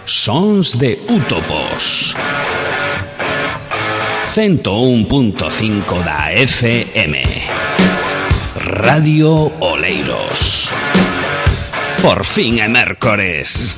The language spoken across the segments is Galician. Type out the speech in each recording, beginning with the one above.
Sons de Útopos 101.5 da FM Radio Oleiros. Por fin é mércores.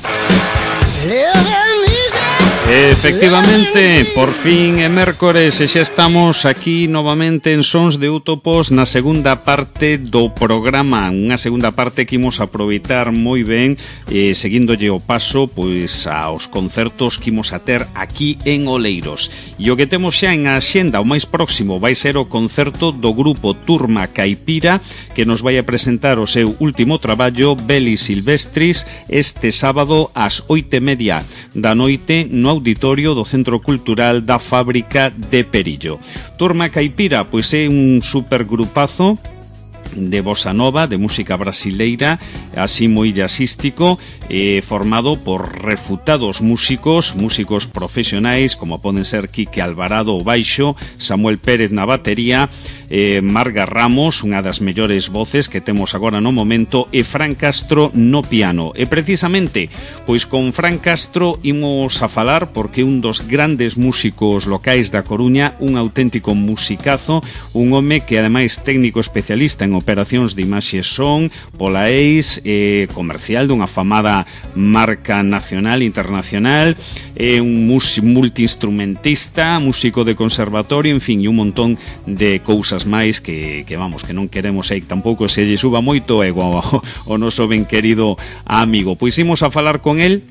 Efectivamente, por fin é mércores e xa estamos aquí novamente en Sons de Útopos na segunda parte do programa, unha segunda parte que imos aproveitar moi ben, seguíndolle o paso pois aos concertos que imos a ter aquí en Oleiros. E o que temos xa en a axenda, o máis próximo, vai ser o concerto do grupo Turma Caipira, que nos vai a presentar o seu último traballo, Belli Silvestris, este sábado ás 8:30 da noite no auditorio do Centro Cultural da Fábrica de Perillo. Turma Caipira, pois é un supergrupazo de bossa nova, de música brasileira, así moi jazzístico, formado por refutados músicos profesionais, como poden ser Quique Alvarado ao baixo, Samuel Pérez na batería, Marga Ramos, unha das mellores voces que temos agora no momento, e Fran Castro no piano. E precisamente, pois con Fran Castro imos a falar porque un dos grandes músicos locais da Coruña, un auténtico musicazo, un home que ademais técnico especialista en operacións de imaxe e son, polaéis, comercial dunha famada marca nacional e internacional, un multiinstrumentista, músico de conservatorio, en fin, e un montón de cousas máis que vamos, que non queremos aí tampouco se lle suba moito ego o noso ben querido amigo. Pois imos a falar con el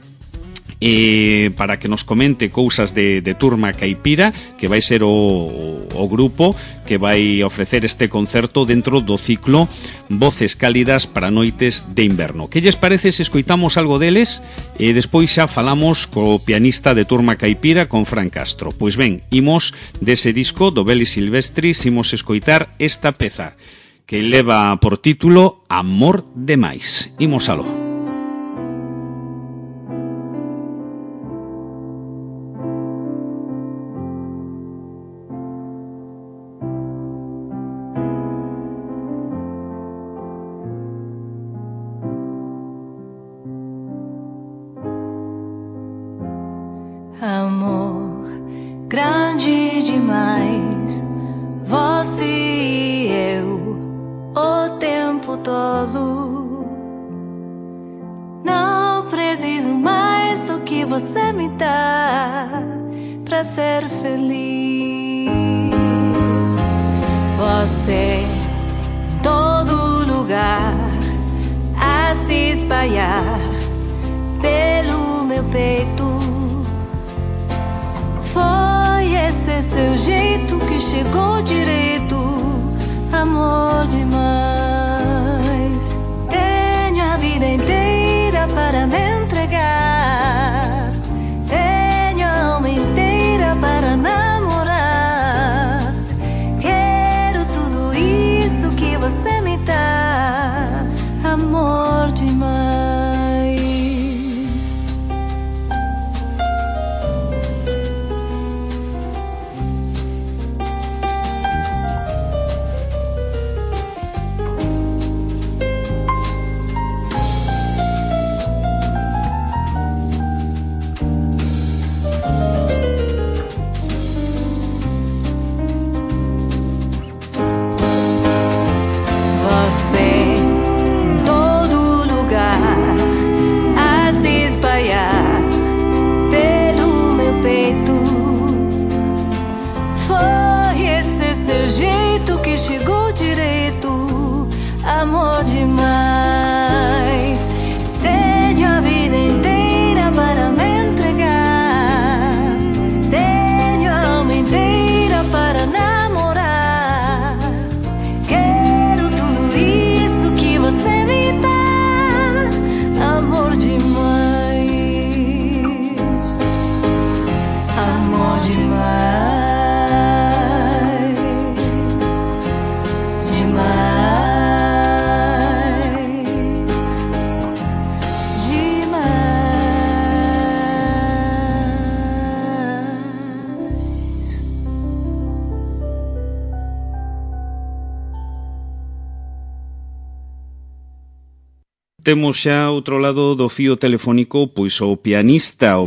para que nos comente cousas de Turma Caipira, que vai ser o grupo que vai ofrecer este concerto dentro do ciclo Voces Cálidas para Noites de Inverno. Que lles parece se escoitamos algo deles e despois xa falamos co pianista de Turma Caipira, con Fran Castro? Pois ben, imos dese disco do Belli Silvestris, imos escoitar esta peza que leva por título Amor Demais. Imos aló. Amor grande demais, você e eu, o tempo todo. Não preciso mais do que você me dá pra ser feliz. Você em todo lugar a se espalhar pelo meu peito. Foi esse seu jeito que chegou direito, amor demais. Tenho a vida inteira para me entregar, tenho a alma inteira para namorar. Quero tudo isso que você me dá, amor demais. Chegou direito, amor demais. Tenho a vida inteira para me entregar, tenho a alma inteira para namorar. Quero tudo isso que você me dá, amor demais, amor demais. Temos xa outro lado do fío telefónico pois o pianista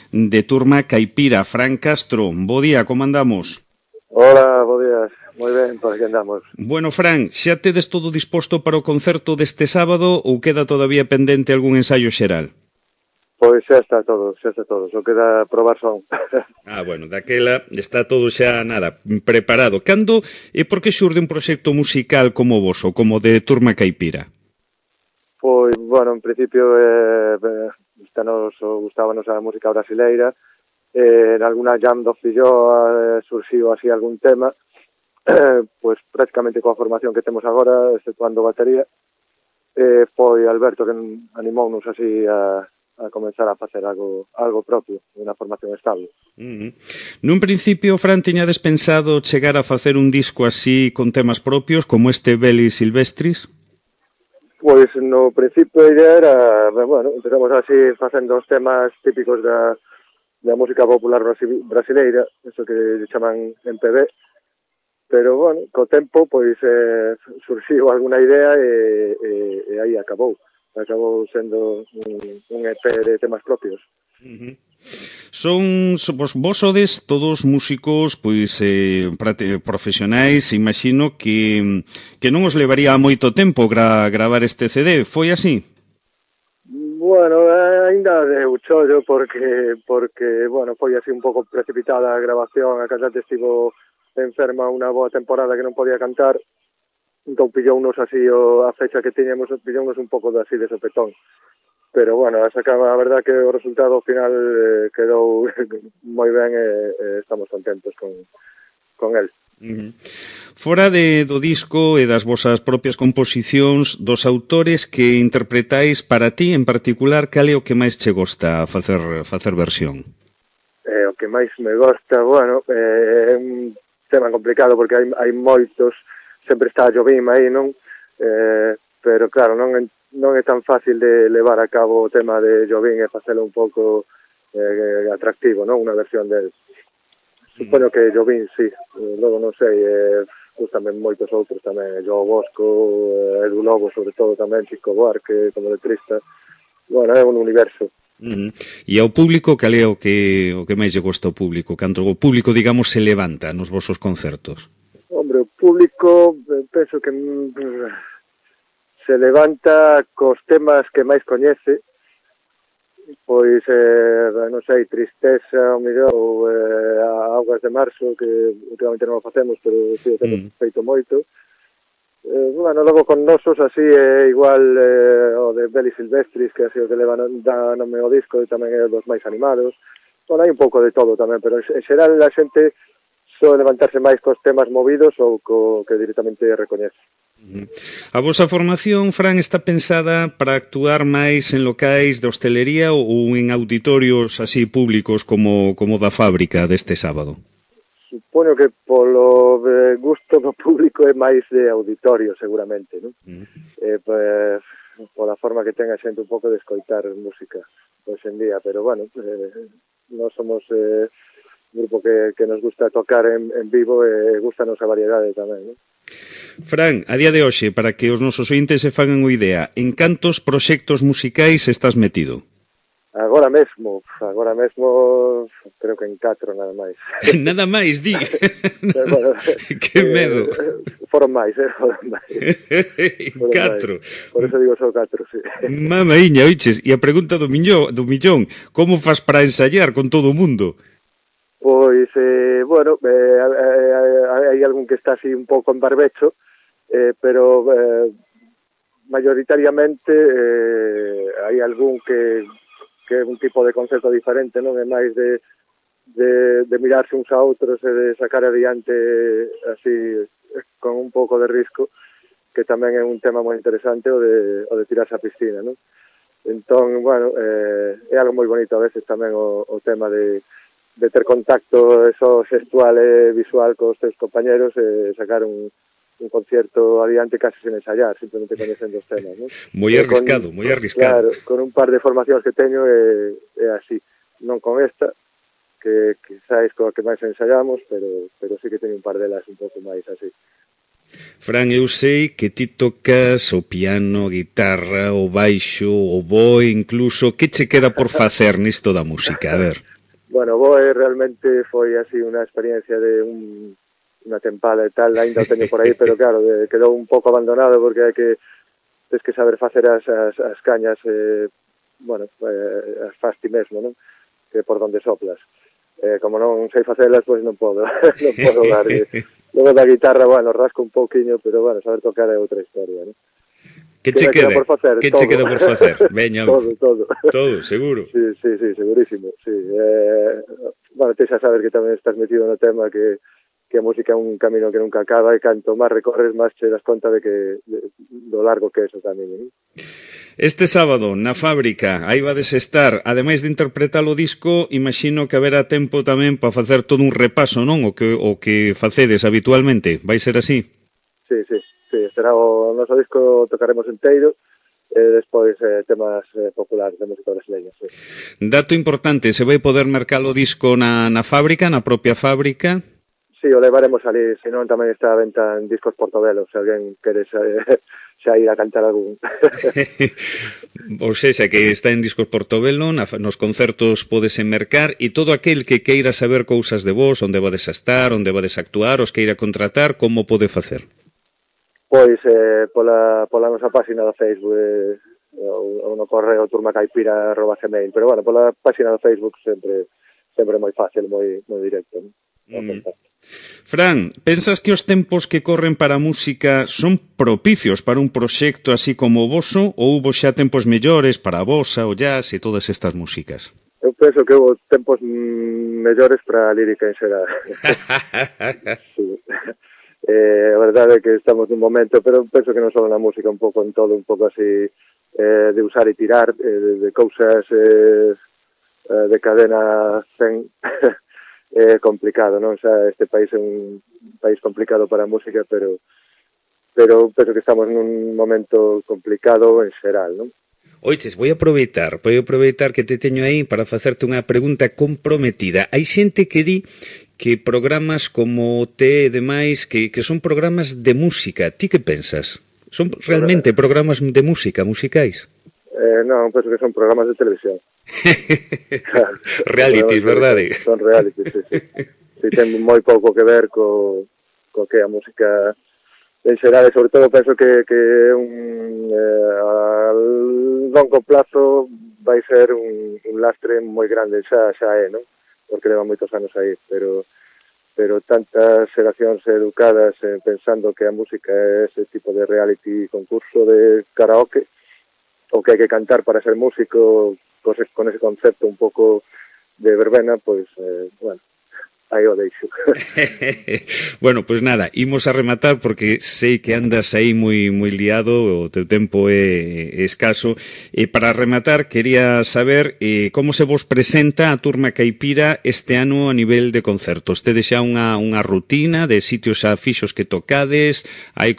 de Turma Caipira, Fran Castro. Bo día, como andamos? Hola, bo días. Moi ben, por aquí andamos. Bueno, Fran, xa tedes todo disposto para o concerto deste sábado ou queda todavía pendente algún ensaio xeral? Pois xa está todo, só queda probar son. Bueno, daquela está todo xa, nada, preparado. Cando e por que xurde un proxecto musical como vos, ou como de Turma Caipira? Pois, bueno, en principio gustábanos a música brasileira, en alguna jam do Filloa surxiu así algún tema, pois prácticamente coa formación que temos agora, exceptuando batería, foi Alberto que animounos así a comenzar a facer algo propio, unha formación estable. Nun principio, Fran, tiñades pensado chegar a facer un disco así con temas propios, como este Bellis Silvestris? Pois no principio a idea era, bueno, empezamos así facendo os temas típicos da música popular brasileira, eso que chaman MPB, pero, bueno, co tempo, pois, surxiu alguna idea e aí acabou sendo un EP de temas propios. Vos sodes todos músicos pois profesionais, imagino que non os levaría moito tempo gravar este CD, foi así? Bueno, ainda deu chollo porque, bueno, foi así un pouco precipitada a grabación, a cantante estivo enferma unha boa temporada que non podía cantar, entón pillounos así a fecha que tiñamos, pillounos un pouco así de sopetón. Pero, bueno, a verdad que o resultado final quedou moi ben e estamos contentos con el. Fora do disco e das vosas propias composicións, dos autores que interpretáis para ti en particular, cal é o que máis che gosta facer versión? O que máis me gosta, bueno, é un tema complicado porque hai moitos, sempre está a Jobim aí, non? Pero claro, non é tan fácil de levar a cabo o tema de Jobim e facelo un pouco atractivo, non? Unha versión del. Supoño que Jobim, sí. Logo non sei, gustame moitos outros tamén, Joao Bosco, Edu Lobo, sobre todo tamén, Chico Buarque, como letrista. Bueno, é un universo. E ao público, cal é o que máis lle gosta ao público? Cando o público, digamos, se levanta nos vosos concertos? Hombre, o público, penso que se levanta cos temas que máis coñece, pois, non sei, Tristeza, o mellor, ou Augas de Marzo, que últimamente non o facemos, pero sí o temos feito moito. Bueno, logo con nosos, así, igual o de Bellis Silvestris, que así o que leva da nome ao disco, e tamén é dos máis animados. Bueno, hai un pouco de todo tamén, pero en xeral a xente soe levantarse máis cos temas movidos ou co que directamente recoñece. A vosa formación, Fran, está pensada para actuar máis en locais de hostelería ou en auditorios así públicos como da fábrica deste sábado? Supoño que polo gusto do público é máis de auditorio, seguramente, non? Pola forma que ten a xente un pouco de escoitar música hoxe en día, pero, bueno, nós somos un grupo que nos gusta tocar en vivo e gustanos a variedade tamén, non? Fran, a día de hoxe, para que os nosos ointes se fagan unha idea, en cantos proxectos musicais estás metido? Agora mesmo, creo que en 4 nada máis. Nada máis, di? Bueno, que medo. Foron máis. En 4. Por eso digo só 4, sí. Mamaíña, oiches, e a pregunta do millón, como fas para ensayar con todo o mundo? Pois, bueno, hai algún que está así un pouco en barbecho, pero mayoritariamente hai algún que é un tipo de concepto diferente, non é máis de mirarse uns a outros e de sacar adiante así con un pouco de risco, que tamén é un tema moi interesante o de tirarse a piscina, non? Entón, bueno, é algo moi bonito a veces tamén o tema de ter contacto eso xestual e visual cos teus compañeros e sacar un concierto adiante casi sen ensayar, simplemente coñecendo os temas, non? Moi arriscado. Claro, con un par de formacións que teño é así, non con esta, que quizás coa que máis ensayamos, pero sí que teño un par delas un pouco máis así. Fran, eu sei que ti tocas o piano, a guitarra, o baixo, o boe, incluso. Que che queda por facer nisto da música? A ver. Bueno, o boe realmente foi así unha experiencia de unha tempada e tal, ainda o teño por aí, pero claro, quedou un pouco abandonado porque hai que tens que saber facer as cañas, as faz ti mesmo, non? Que por donde soplas. Como non sei facelas, pois non podo darlle. Logo da guitarra, rasco un pouquiño, pero saber tocar é outra historia, non? Que che queda por facer? Que che queda por facer? Veña, todo. Todo, seguro. Sí, segurísimo, sí. Ti xa sabes que tamén estás metido no tema que a música é un camino que nunca acaba e canto máis recorres, máis che das conta do largo que é eso tamén, non? Este sábado, na Fábrica, aí vades estar, ademais de interpretar o disco, imagino que haberá tempo tamén para facer todo un repaso, non? O que facedes habitualmente, vai ser así? Sí, será o noso disco, tocaremos enteiro, e despois temas populares de música brasileña, sí. Dato importante, se vai poder mercar o disco na Fábrica, na propia Fábrica? Sí, o levaremos ali, senón tamén está a venta en Discos Portobelo, se alguén quere xa ir a cantar algún. Ou seja, que está en Discos Portobelo, nos concertos podese mercar, e todo aquel que queira saber cousas de vos, onde vades a estar, onde vades a actuar, os queira contratar, como pode facer? Pois pola nosa página do Facebook ou no correo turmacaipira@gmail, pero pola página do Facebook sempre moi fácil, moi directo, non? Fran, pensas que os tempos que corren para a música son propicios para un proxecto así como o voso, ou hubo xa tempos mellores para a bossa, o jazz e todas estas músicas? Eu penso que houve tempos mellores para a lírica en xeral. Sí. A verdade é que estamos nun momento, pero penso que non só na música, un pouco en todo, un pouco así de usar e tirar, de cousas de cadena 100. É complicado, non? Xa este país é un país complicado para a música, pero penso que estamos nun momento complicado en xeral, non? Oiches, vou aproveitar que te teño aí para facerte unha pregunta comprometida. Hai xente que di que programas como T e demais, que son programas de música. Ti que pensas? Son realmente programas de música, musicais? Non, penso que son programas de televisión. Claro, realities, verdade? Son realities, sí. Si ten moi pouco que ver co que a música en xeral, e sobre todo penso que a longo plazo vai ser un lastre moi grande, xa é, non? Porque leva moitos anos aí, pero tantas xeracións educadas pensando que a música é ese tipo de reality concurso de karaoke, o que hai que cantar para ser músico, con ese concepto un pouco de verbena, pois, aí o deixo. Bueno, pois nada, imos a rematar porque sei que andas aí moi liado, o teu tempo é escaso, e para rematar quería saber como se vos presenta a Turma Caipira este ano a nivel de concertos. Tedes xa unha rutina de sitios xa fixos que tocades, hai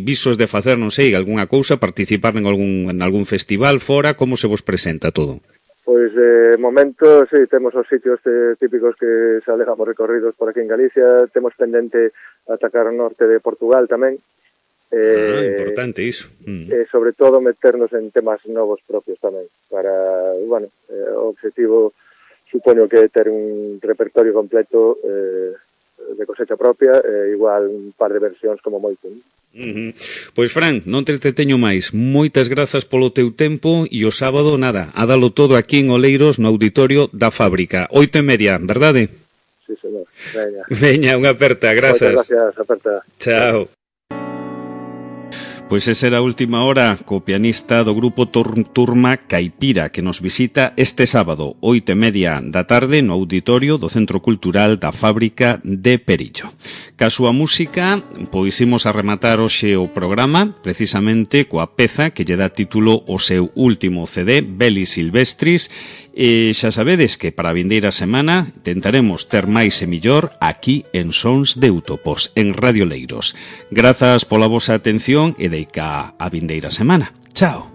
visos de facer, non sei, algunha cousa, participar en algún festival fora, como se vos presenta todo? Pois, de momento, sí, temos os sitios típicos que xa levamos recorridos por aquí en Galicia, temos pendente atacar o norte de Portugal tamén. Importante iso. E, sobre todo, meternos en temas novos propios tamén, para, o objetivo, supoño que ter un repertorio completo de cosecha propia, igual un par de versións como moito. Pois, Fran, non te teño máis. Moitas grazas polo teu tempo e o sábado, nada, a dalo todo aquí en Oleiros no auditorio da Fábrica. 8:30, verdade? Sí, señor. Veña, unha aperta, grazas. Moitas gracias, aperta. Chao. Pois esa era a última hora co pianista do grupo Turma Caipira, que nos visita este sábado, 8:30 da tarde, no auditorio do Centro Cultural da Fábrica de Perillo. Ca súa música, pois imos a rematar hoxe o programa, precisamente coa peza que lle dá título ao seu último CD, Belli Silvestris, e xa sabedes que para a vindeira semana tentaremos ter máis e millor aquí en Sons de Útopos, en Radio Leiros. Grazas pola vosa atención e deica a vindeira semana. Chao.